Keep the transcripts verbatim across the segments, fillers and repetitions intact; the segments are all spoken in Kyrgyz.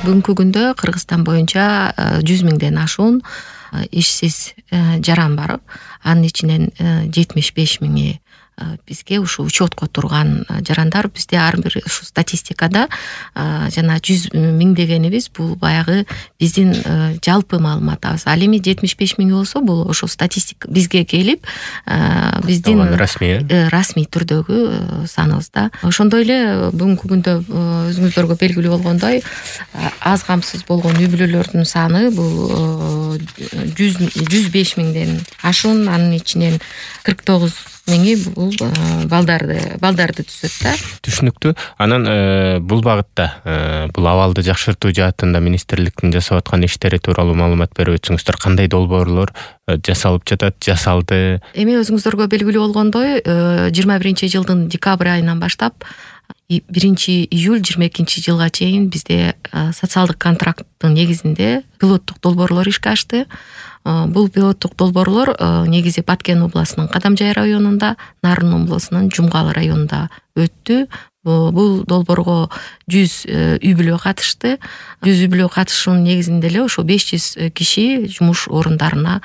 бүгүнкү күндө Кыргызстан боюнча жүз миңден ашуун ишсиз жаран бар. Анын ичинен жетимиш беш миңи бизге ушу учетко турган жарандар. Бизде ар бир ушу статистикада жана жүз миң дегенибиз бул баягы биздин жалпы маалыматыбыз. Ал эми жетимиш беш миң болсо бул ошо статистика бизге келип биздин расмий расмий түрдөгү саныбыз да. Ошондой эле бүгүнкү күндө өзүңүздөргө белгилүү болгондой аз камсыз болгон үй бүлөлөрдүн саны бул жүз беш миңден ашуун. Анын ичинен кырк тогуз миңи бул балдарды балдарды түзөт да. Түшүнүктүү. Анан бул багытта бул абалды жакшыртуу жаатында министрликтин жасап аткан иштери тууралуу маалымат берип өтсөңүздөр, кандай долбоорлор жасалып жатат, жасалды? Эми өзүңүздөргө белгилүү болгондой жыйырма биринчи жылдын декабрь айынан баштап биринчи июль жыйырма экинчи жылга чейин бизде социалдык контракттын негизинде пилоттук долбоорлор ишке ашты. Бул пилоттук долбоорлор негизи Баткен областынын Кадамжай районунда, Нарын областынын Жумгал районунда өттү. Бул долбоорго жүз үй бүлө катышты. жүз үй бүлө катышуунун негизинде эле ошо беш жүз киши жумуш орундарына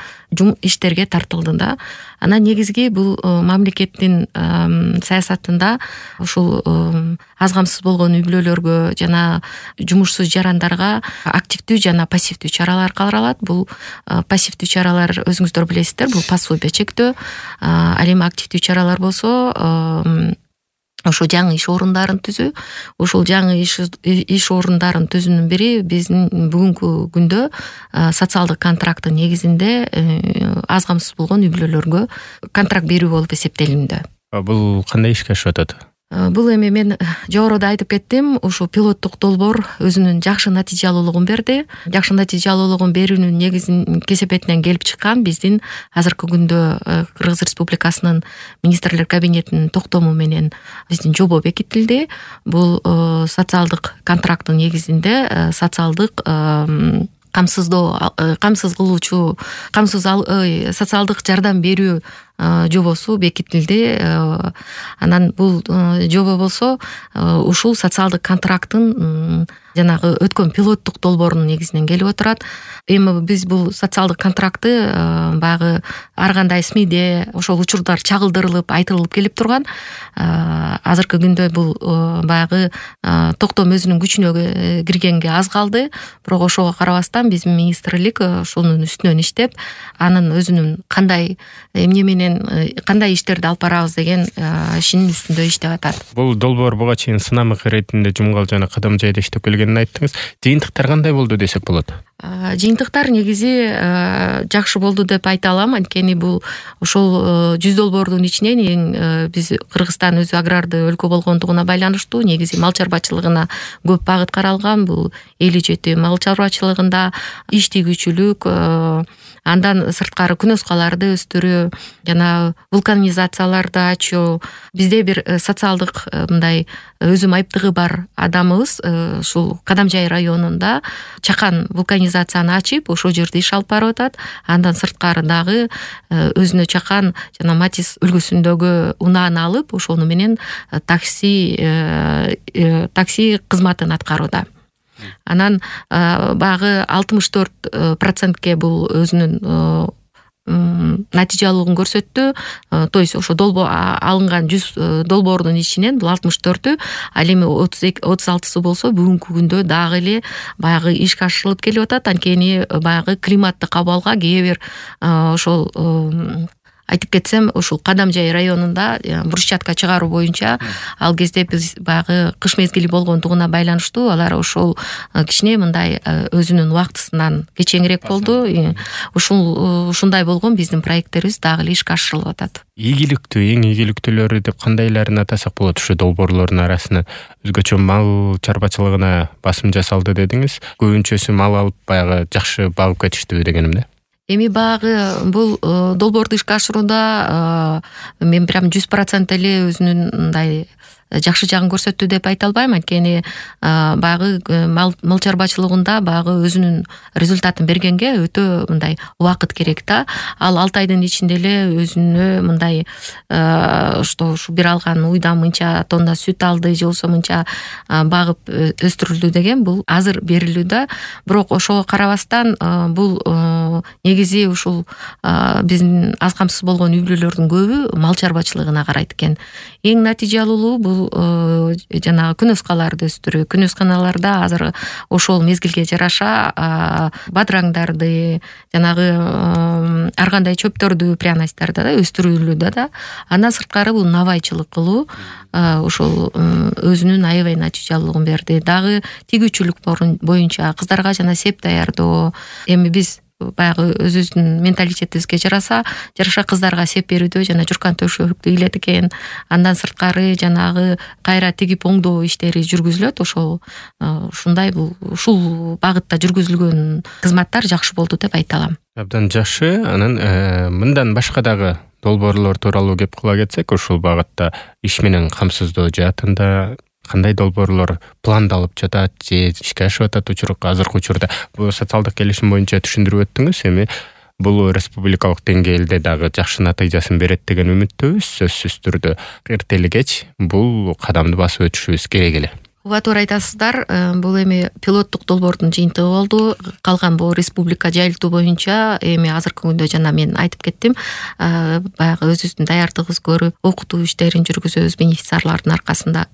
иштерге тартылды да. Анан негизги бул мамлекеттин саясатында ушул аз камсыз болгон үй бүлөлөргө жана жумушсуз жарандарга активдүү жана пассивдүү чаралар каралат. Бул пассивдүү чаралар өзүңүздөр билесиздер, бул пособие чектөө. Ал эми активдүү чаралар болсо ошо жаңы иш орундарын түзүү. Ошол жаңы иш иш орундарын түзүүнүн бири биздин бүгүнкү күндө социалдык контракттын негизинде аз камсыз болгон үй бүлөлөргө контракт берүү болуп эсептелинүүдө. Бул кандай ишке ашып атат? Бул эми мен жогоруда айтып кеттим, ушу пилоттук долбоор өзүнүн жакшы натыйжалуулугун берди. Жакшы натыйжалуулугун берүүнүн негизин кесепетинен келип чыккан биздин азыркы күндө Кыргыз Республикасынын министрлер кабинетинин токтому менен биздин жобо бекитилди. Бул социалдык контракттын негизинде социалдык камсыздоо камсыз кылуучу камсыз социалдык жардам берүү жобосу бекитилди. Анан бул жобо болсо ушул социалдык контракттын жанагы өткөн пилоттук долбоорунун негизинен келип отурат. Эми биз бул социалдык контрактты баягы ар кандай СМИде ошол учурдар чагылдырылып, айтылып келип турган. Азыркы күндө бул баягы токтом өзүнүн күчүнө киргенге аз калды. Бирок ошого карабастан биздин министрлик ошонун үстүнөн иштеп, анын өзүнүн кандай эмне менен кандай иштерди алып барабыз деген ишинин үстүндө иштеп атат. Бул долбоор буга чейин сынамык иретинде Жумгал жана Кадамжайда иштеп келгенин айттыңыз. Жыйынтыктар кандай болду десек болот? Жыйынтыктар негизи жакшы болду деп айта алам. Анткени бул ошол жүз долбоордун ичинен эң биз Кыргызстан өзү аграрды өлкө болгондугуна байланыштуу негизи мал чарбачылыгына көп багыт каралган. Бул эл ичети мал чарбачылыгында иштигүүчүлүк, андан сырткары күнөскаларды өстүрүү жана вулканизацияларды ачуу. Бизде бир социалдык мындай өзү айыптыгы бар адамыбыз ушул Кадамжай районунда чакан вулканизацияны ачып, ошол жерде иш алып барып атат. Андан сырткары дагы өзүнө чакан жана Матис үлгүсүндөгү унааны алып, ошону менен такси такси кызматын аткарууда. Анан багы алтымыш төрт процентке бул өзүнүн натыйжалуулугун көрсөттү. То есть ошо долбоо алынган жүз долбоордун ичинен бул алтымыш төртү, ал эми отуз алтысы болсо бүгүнкү күндө дагы эле баягы ишке ашырылып келип атат. Анткени баягы климаттык абалга кээ бир ошол айтып кетсем, ушул Кадамжай районунда брусчатка чыгаруу боюнча ал кезде биз баягы кыш мезгили болгондугуна байланыштуу алар ошол кичине мындай өзүнүн убактысынан кечеңирээк болду. Ушул ушундай болгон биздин проекттерибиз дагы эле ишке ашырылып атат. Ийгиликтүү, эң ийгиликтүүлөрү деп кандайларын атасак болот? Ушу долбоорлордун арасынан өзгөчө мал чарбачылыгына басым жасалды дедиңиз. Көбүнчөсү мал алып баягы жакшы багып кетиштүү дегеним да. Эми багы бул долбоорду ишке ашырууда мен прям жүз процент эле өзүнүн мындай жакшы жагын көрсөттү деп айта албайм, анткени баягы мал чарбачылыгында баягы өзүнүн результатын бергенге өтө мындай убакыт керек да. Ал алты айдын ичинде эле өзүнө мындай что ушу бир алган уйдан мынча тонна сүт алды же болбосо мынча багып өстүрүлдү деген бул азыр берилүү да. Бирок ошого карабастан бул негизи ушул биздин аз камсыз болгон үй бүлөлөрдүн көбү мал чарбачылыгына карайт экен. Эң натыйжалуулуу бул жанагы күнөскаларды өстүрүү. Күнөсканаларда азыр ошол мезгилге жараша бадыраңдарды, жанагы ар кандай чөптөрдү, пряностьтарды да өстүрүлүүдө да. Андан сырткары бул навайчылык кылуу ошол өзүнүн аябай натыйжалуулугун берди. Дагы тигүүчүлүк боюнча кыздарга жана сеп даярдоо. Эми биз баягы өзүбүздүн менталитетибизге жараса, жараша кыздарга сеп берүүдө жана журкан төшөктү илет экен. Андан сырткары жанагы кайра тигип оңдоо иштери жүргүзүлөт. Ошол ушундай бул ушул багытта жүргүзүлгөн кызматтар жакшы болду деп айта алам. Абдан жакшы. Анан мындан башка дагы долбоорлор тууралуу кеп кыла кетсек, ушул багытта иш менен камсыздоо жаатында кандай долбоорлор пландалып жатат же ишке ашып атат учурукка азыркы учурда? Бул социалдык келишим боюнча түшүндүрүп өттүңүз. Эми бул республикалык деңгээлде дагы жакшы натыйжасын берет деген үмүттөбүз. Сөзсүз түрдө эрте эле кеч бул кадамды басып өтүшүбүз керек эле. Ооба, туура айтасыздар. Бул эми пилоттук долбоордун жыйынтыгы болду. Калган бул республика жайылтуу боюнча эми азыркы күндө жана мен айтып кеттим, баягы өзүбүздүн даярдыгыбыз көрүп, окутуу иштерин жүргүзөбүз бенефициарлардын аркасында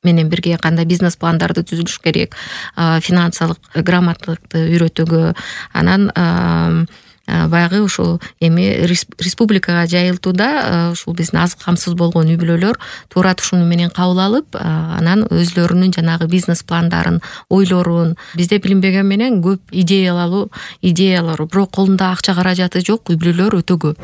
менен бирге кандай бизнес пландарды түзүлүш керек, финансылык грамоталыкты үйрөтүүгө. Анан баягы ушул эми республикага жайылтууда ушул биздин аз камсыз болгон үй бүлөлөр туура тушуну менен кабыл алып, анан өзлөрүнүн жанагы бизнес пландарын, ойлорун, бизде билинбеген менен көп идеялуу идеялар, бирок колунда акча каражаты жок үй бүлөлөр өтө көп.